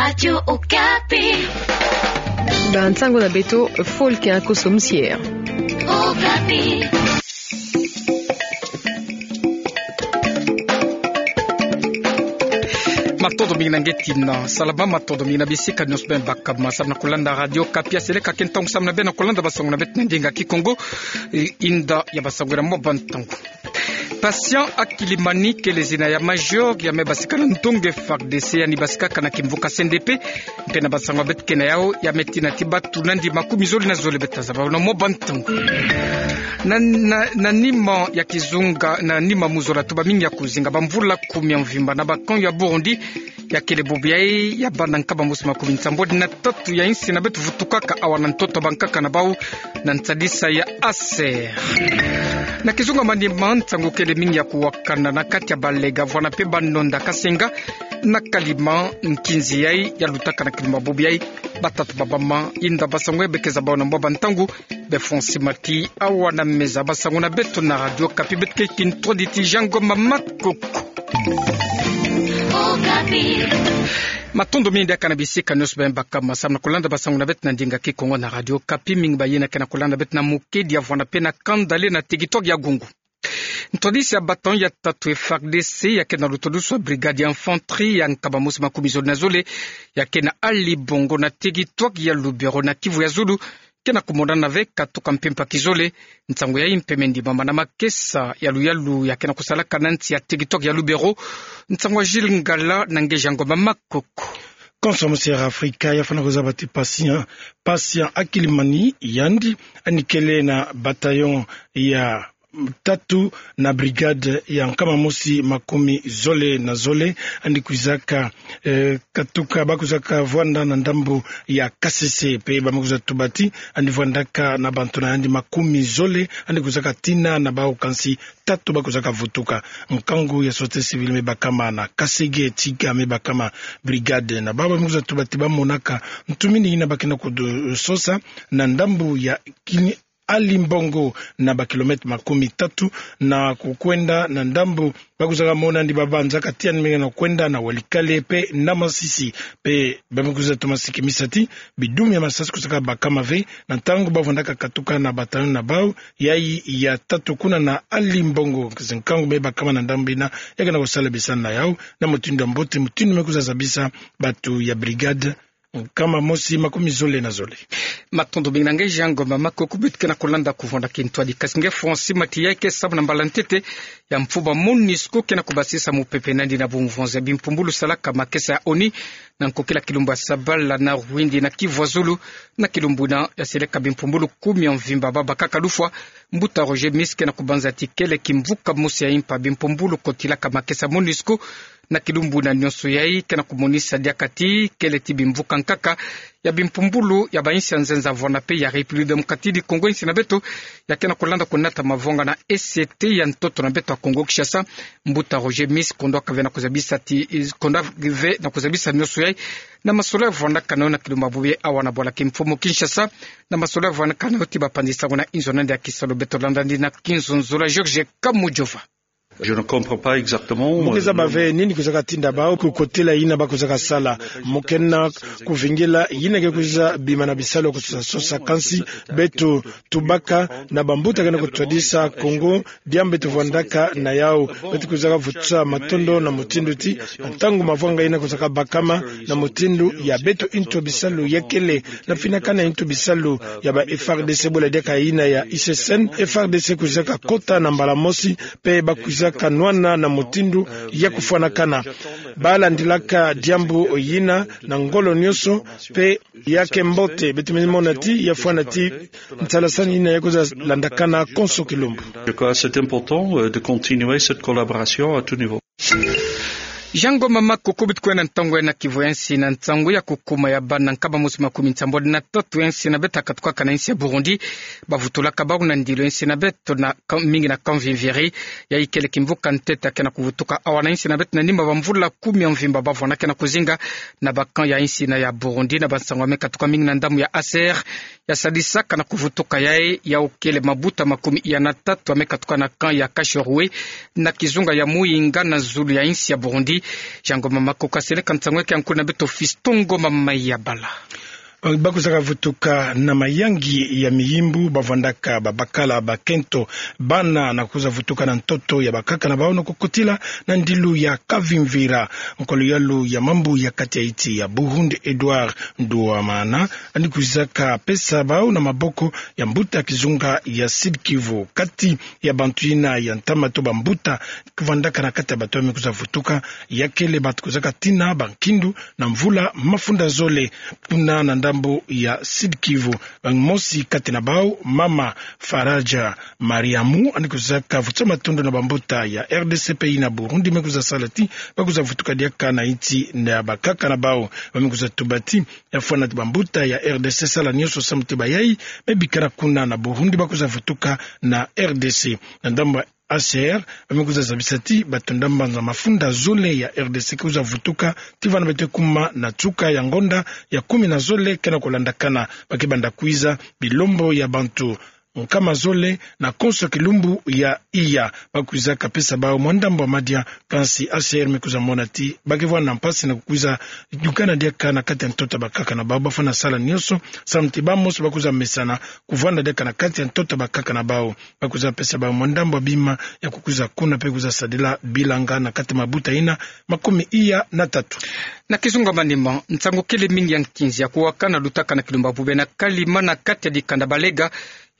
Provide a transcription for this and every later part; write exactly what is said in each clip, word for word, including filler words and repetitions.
Radio Okapi. Ba nsangu na beto, Folk Inkoso Musier. Okapi. Matondo mingi na nge tina salama, matondo mingi na bisika nionso beno baka ma samu na kulanda Radio Okapi. Aseleka ke ntangu samu na beno na kulanda ba nsangu na beto na ndinga Kikongo. E, inda ya ba nsangu ena mwa ba ntangu. Patient Akilimani kele zina ya major ya me basika na ndonga F A R D C, yandi basikaka na kimvuka C N D P, mpe na ba nsangu beto ke na yau, ya me tina ti bato nandi makumi zole na zole beta zaba na mwa ba ntangu. Na, na, na nima ya kizunga, na nima muzola tuba mingi ya kuzinga, ba mvula kumi ya mvimba na ba camp ya Burundi, ya kele bubu yai ya bana nkaba mosi makumi nsambwadi na tatu ya insi na beto vutukaka awa na ntoto bankaka na bau na nsadisa ya A S E R. Na kizunga manima, nsangu kele mingi ya kuwakana na kati ya balega, vwanda mpe banonda, kasenga na kalima nkinzi yai ya lutaka na kilumbu bubu yai. Batata, bamama, inda ba nsangu yai be ke za bau na mwa ba ntangu, be Francis Mati awa na meza. Ba nsangu na beto na Radio Okapi, beto ke kintwadi ti Jean Ngoma Makoko. Matondo mingi diaka na bisika nionso beno baka ma samu na kulanda ba nsangu na beto na ndinga Kikongo na Radio Okapi. Mingi ba yina ke na kulanda beto na mukedi ya vwanda mpe na kanda le na territoire ya Gungu. Ntwadisi ya bataillon ya tatu F A R D C, ya ke na lutodusu ya brigade ya infanterie ya nkaba mosi makumi zole na zole, ya ke na Ali Bongo na territoire ya Lubero na Kivu ya Zulu, ke na kumonana ve katuka mpimpa kizole. Nsangu yai mpe me ndimama na makesa ya luyalu ya ke na kusalaka na nsi ya territoire ya Lubero. Nsangu ya Gilles Ngala na nge Jean Ngoma Makoko. Konso mosi ya Afrika ya fwana kuzaba ti Patient, Patient Akilimani, yandi yandi kele na bataillon ya tatu na brigade ya nkama mosi makumi zole na zole, yandi kwizaka, eh, katuka, ba kwizaka vwanda na ndambu ya Kasese, mpe ba me kwiza tuba ti yandi vwandaka na bantu na yandi makumi zole, yandi kwizaka tina na bau kansi tatu ba kwizaka vutuka. Nkangu ya société civile me bakama na Kasege, Tiga me bakama brigade na bau, ba me kwiza tuba ti ba monaka ntumini yina ba ke na kusosa na ndambu ya Kini Ali Mbongo, na ba kilomètre makumi tatu na kukwenda na ndambu ba kwizaka mona yandi ba banzaka ti yandi me ke na kwenda na Walikale mpe na Masisi. Mpe ba me kwiza toma sikimisa ti bidumi ya masasi kwizaka bakama ve na ntangu ba vwandaka katuka na bataillon na bau yai ya tatu kuna na Ali Mbongo. Nkangu me bakama na ndambu yina, ya ke na kusala bisani na yau na mutindu ya mbote, mutindu me kwiza zabisa bantu ya brigade nkama mosi makumi zole na zole. Matondo mingi na nge Jean Ngoma Makoko. Beto ke na kulanda kuvwanda kintwadi. Kasi nge Francis Mati, ya ke samu na mbala ntete ya mfuba MONUSCO ke na kubasisa mupepe na yandi na bumvonza ya bimpumbulu salaka makesa ya ONU na nkokila kilumbu ya Sabala na Rwindi na Kivu ya Zulu. Na kilumbu yina ya seleka bimpumbulu kumi ya mvimba ba bakaka lufwa. Mbuta Roger Miss ke na kubanza ti kele kimvuka mosi ya impa bimpumbulu kotilaka makesa MONUSCO. Na kilumbu yina nionso yai ke na kumonisa diaka ti kele ti bimvuka nkaka ya bimpumbulu ya ba insi ya nzenza vwanda mpe ya République Démocratique du Congo, insi na beto ya ke na kulanda kunata mavwanga na E C T ya ntoto na beto ya Kongo Kinshasa. Mbuta Roger Miss, kondwa ka ve na kuzabisa ti, kondwa ve na kuzabisa nionso yai na masolo ya vwandaka na yo na kilumbu bubu yai awa na bwala kimfumu Kinshasa, na masolo ya vwandaka na yo ti bapanzi nsangu na inzo na yandi ya kisalu. Beto landa yandi na kinzonzolo ya Georges Kamujova. Je ne comprends pas exactement. Mu ke zaba ve nini kwizaka tinda bau kukotila yina ba kwizaka sala. Mu ke na kuvingila yina ke kwiza bima na bisalu ya kusosa sosa, kansi beto tubaka na bambuta ke na kutwadisa Kongo diambu beto vwandaka na yau. Beto kwizaka vutusa matondo na mutindu ti na ntangu mavwanga yina kwizaka bakama na mutindu ya beto ntu ya bisalu ya kele na finakana ntu ya bisalu ya ba F A R D C, bula diaka yina ya I C C N, F A R D C kwizaka kota na mbala mosi, mpe ba kwizaka nwana na mutindu ya kufwanakana. Ba landilaka diambu yina na ngolo nionso, mpe ya ke mbote. Beto me mona ti ya fwana ti nsalasani yina ya kwiza landakana konso kilumbu. Je crois que c'est important, euh, de continuer cette collaboration à tout niveau. Jean Ngoma Makoko. Beto kwenda ntangu yai na kivu ya nsi na nsangu ya kukuma ya bana nkama mosi makumi nsambwadi na tatu ya nsi na beto ya katukaka na insi ya Burundi. Ba vutulaka bau na ndilo ya nsi na beto na ka-, mingi na Kamvimviri. Yai kele kimvuka ntete ya ke na kuvutuka awa na insi na beto na nima bamvula kumi ya mvimba ba vwanda ke na kuzinga na ba camp ya insi na ya Burundi. Na bansangu ya me katuka mingi na ndambu ya A S R, ya sadisaka na kuvutuka yai, yau kele mabuta makumi iya na tatu ya me katuka na camp ya Kashoroué, na kizunga ya Muyinga na zulu ya insi ya Burundi. Jean Ngoma Makoko aseleka nsangu yaki, ankulu na beto Fiston Ngoma Mayabala. Bakozaka vutuka na mayangi ya miyimbu, bavandaka babakala bakento, bana na kwiza vutuka na ntoto ya bakaka na bau na kukotila na ndilu ya kavimvira. Nkolo yalu ya mambu ya kati ya insi ya Burundi, Edouard Nduwamana, yandi kwizaka pesa bau na maboko ya mbuta kizunga ya Sud-Kivu. Kati ya bantu yina ya ntama to bambuta kuvandaka na kati ya bato ya me kwiza vutuka, ya kele bato kwizaka tina bankindu na mvula mafunda zole kuna na ndambu ya Sud-Kivu. Mosi kati na bau, mama Faraja Mariamu, yandi kwizaka vutusa matondo na bambuta ya R D C pe na Burundi me kwiza sala ti bakwiza vutuka diaka na insi ya bakaka na bau. Ba me kwiza tuba ti ya fwana ti bambuta ya R D C sala nionso samu ti bayai me bikana kuna na Burundi bakwiza vutuka na R D C. Na ndambu ya H C R, ba me kwiza zabisa ti bato ndambu za mafunda zole ya R D C ke kwiza vutuka ti vana beto kuma na nsuka ya ngonda ya kumi na zole ke na kulandakana. Ba ke banda kwiza bilombo ya bantu nkama zole na konso kilumbu ya iya. Bakwizaka pesa bau mwa ndambu ya madia, kansi H C R me kwiza mona ti ba ke vwanda mpasi na kukwiza dukana diaka na kati ya ntoto ya bakaka na bau. Bafwana sala nionso samu ti bamosi bakwiza mesana kuvwanda diaka na kati ya ntoto ya bakaka na bau. Bakwiza pesa bau mwa ndambu ya bima ya kukwiza kuna pe kwiza sadila bilanga na kati ya mabuta yina makumi iya na tatu. Na kizunga manima, nsangu kele mingi ya nkinzi ya kuwakana lutaka na kilumbu ya bubu na Kalima na kati ya dikanda Balega,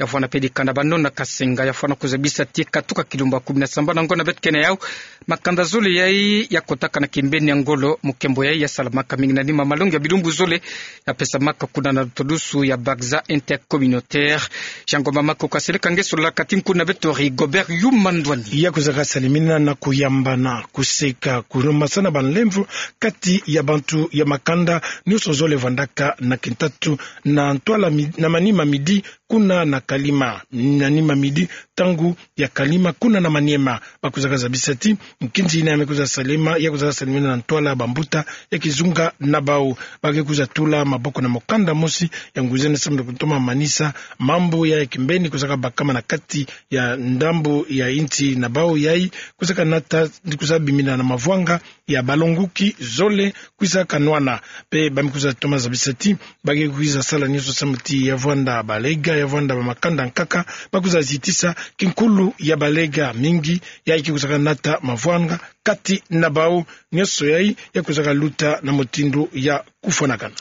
ya vwanda pe dikanda Banona Kasenga, ya fwana kuzabisa ti katuka kilumbu ya kumi na sambanu ngonda beto kena yau, makanda zole yai ya kotaka na kimbeni ya ngolo. Mukembo yai ya salamaka mingi na nima malongi ya bilumbu zole ya pesamaka kuna na lutadusu ya Bagza Intercommunautaire. Jean Ngoma Makoko aseleka ngeso la kati, nkulu na beto Rigobert Yuma Ndwani. Ya kwizaka salimina na kuyambana, kuseka, kulomasana banlemvo kati ya bantu ya makanda nionso zole vandaka na kintatu na ntwala mi-, na manima midi kuna na Kalima, na nima midi ntangu ya Kalima kuna na Maniema. Bakwizaka zabisa ti nkinzi yina ya me kwiza salema, ya kwizaka salemina na ntwala ya bambuta ya kizunga na bau. Ba ke kwiza tula maboko na mukanda mosi ya ngwizani samu na kutoma manisa mambu ya kimbeni kwizaka bakama na kati ya ndambu ya insi na bau yai, kwizaka nata, kwizaka bimina na mavwanga ya balongoki zole kwizaka nwana. Pe ba me kwiza toma zabisa ti ba ke kwiza sala nionso samu ti ya vwanda Balega, ya vwanda bamakanda nkaka, bakwiza zitisa kinkulu ya Balega mingi, yai ke kwizaka nata mavwanga kati na bau. Nionso yai ya kwizaka luta na mutindu ya kufwanakana.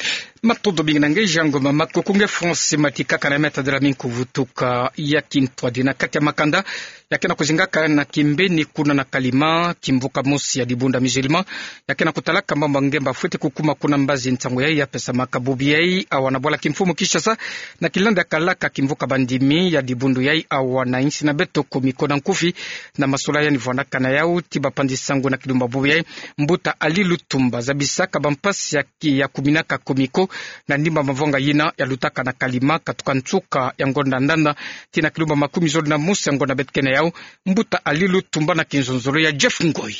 Matondo mingi na nge Jean Ngoma Makoko. Nge France Matika, ka na meta de la mingi kuvutuka ya kintwadi na kati ya makanda ya kena kuzingaka na kimbeni kuna na Kalima, kimvuka mosi ya dibundu ya musulman ya kena kutalaka mambu ya ngemba fwete kukuma kuna mbazi. Nsangu yai ya pesamaka bubu yai awa na bwala kimfumu Kinshasa, na kilanda ya kalaka kimvuka bandimi ya dibundu yai awa na insi na beto Comico na nkufi. Na masolo yandi vwandaka na yau ti bapanzi sango na kilumbu ya bubu yai, mbuta Ali Lutumba zabisaka bampasi ya ki-, ya kuminaka Comico na nima mavwanga yina ya lutaka na Kalima katuka nsuka ya ngonda ndanda tii na kilumbu ya makumi zole na mosi ya ngonda beto kena yau. Mbuta Ali Lutumba na kinzonzolo ya Jeff Ngoi.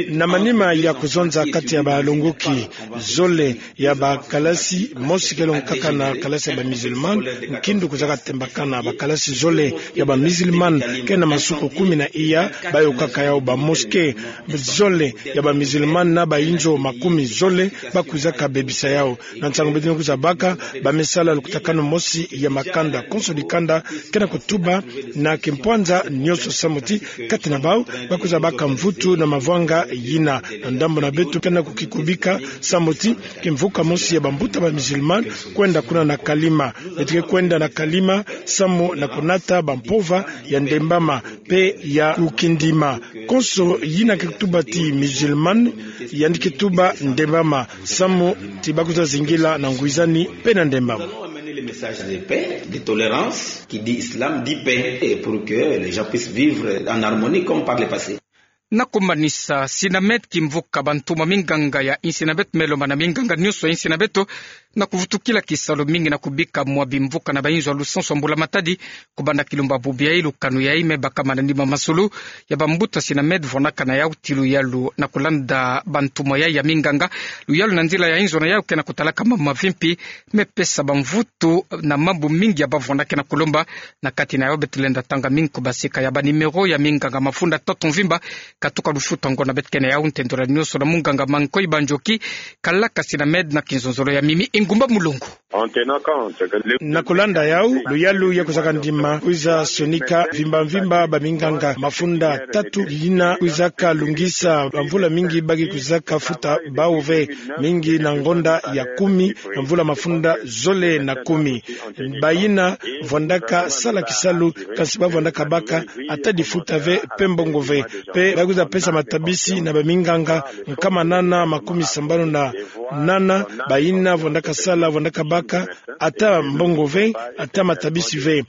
Na manima ya kuzonza kati ya balongoki zole ya bakalasi, mosi kele nkaka na kalasi ya ba musulman, nkindu kwizaka tembakana bakalasi zole ya ba musulman, kena masuku kumi na iya, bayokaka yau ba mosquée zole ya ba musulman na ba inzo makumi zole, bakwizaka bebisa yau. Na nsangu beto kwiza baka, ba me sala lukutakanu mosi ya makanda, konso dikanda kena kutuba na kimpwanza nionso samu ti kati na bau bakwiza baka mvutu na mavwanga yina. Na ndambu na beto kena kukikubika samu ti kimvuka mosi ya bambuta ba musulman kwenda kuna na Kalima. Beto ke kwenda na Kalima samu na kunata bampova ya Ndembama pe ya Kukindima. Konso yina ke kutuba ti musulman, yandi ke tuba Ndembama, samu ti bakwiza zingila na ngwizani pe na Ndembama. Nous allons amener le message de paix, de tolérance, qui dit islam dit paix, et pour que les gens puissent vivre en harmonie comme par le passé. Na kumanisa, Synamed, kimvuka bantumwa minganga ya insi na beto, me lomba na minganga nionso ya insi na beto na kuvutukila kisalu mingi na kubika mwa bimvuka na bainzo ya lusansu ya mbula matadi, kubanda kilumbu ya bubu yai. Lukanu yai me bakama na nima masolo ya bambuta Synamed vwanaka na yau tii luyalu na kulanda bantumwa yai ya minganga, luyalu na nzila ya inzo na yau kena kutalaka mambu mavimpi, me pesa bamvutu na mambu mingi ya bavwanda kena kulomba. Na kati na yau beto lenda tanga mingi kubaseka ya ba numéro ya minganga mafunda tatu mvimba Katuka lufuta ngo na beto kena yau, ntendora nioso na munganga Mankoi Banjoki, kalaka si na Med na kinzonzolo ya mimi Ingumba Mulongo. Na kulanda yau, luyalu ya kwizaka ndima kwiza sonika mvimba mvimba baminganga. Mafunda tatu yina kwizaka lungisa, bamvula mingi ba ki kwizaka futa bau ve, mingi na ngonda ya kumi, na mvula mafunda zole na kumi. Bayina vwandaka sala kisalu, kansi ba vwandaka baka ata difuta ve pe mbongo ve. Pe ba kwiza pesa matabisi na baminganga nkama nana makumi sambanu na nana, bayina vwandaka sala, vwandaka baka ata mbongo ve, ata matabisi ve.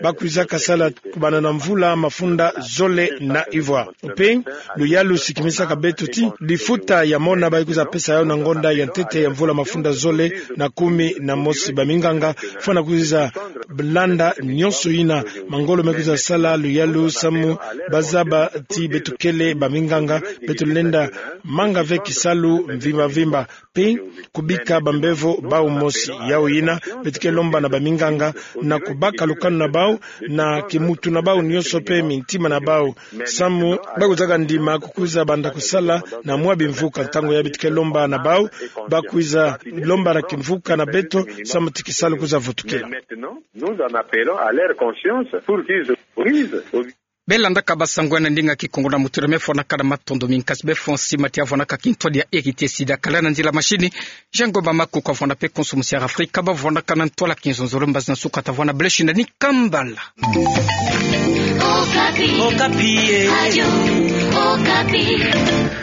Ba kwizaka sala kubanda na mvula mafunda zole na ivwa. Pe luyalu si kimisaka beto ti difuta ya mona ba kwiza pesa yau na ngonda ya ntete ya mvula mafunda zole na kumi na mosi. Baminganga fwana kwiza landa nionso yina, mangolo me kwiza sala, luyalu samu ba zaba ti beto kele baminganga, beto lenda manga ve kisalu mvimba mvimba. Pe kubika bambevo bau mosi. Yau yina beto ke lomba na baminganga na kubaka lukanu na bau, na kimutu na bau nionso pe mintima na bau, samu ba kwizaka ndima kukwiza banda kusala na mwa bimvuka. Ntangu ya beto ke lomba na bau, ba kwiza lomba na kimvuka na beto, samu ti kisalu kwiza vutukila. Nous en appelons à leur conscience pour qu'ils brisent. Belandaka basango ya na ndinga Kikongo na mutura, me fwanaka na matondo mingi. Kansi befwa nsi mati ya vwanaka kintwadi ya R T C, da kala na nzila mashini, Jean Ngomba Makuku avwana pe konso musi ya Afrika, ba vwanaka na ntwala kinzonzolo, mbazi na nsuka ta vwana Bleshina ni Kambala. Okapi. Okapi, eh. Radio Okapi.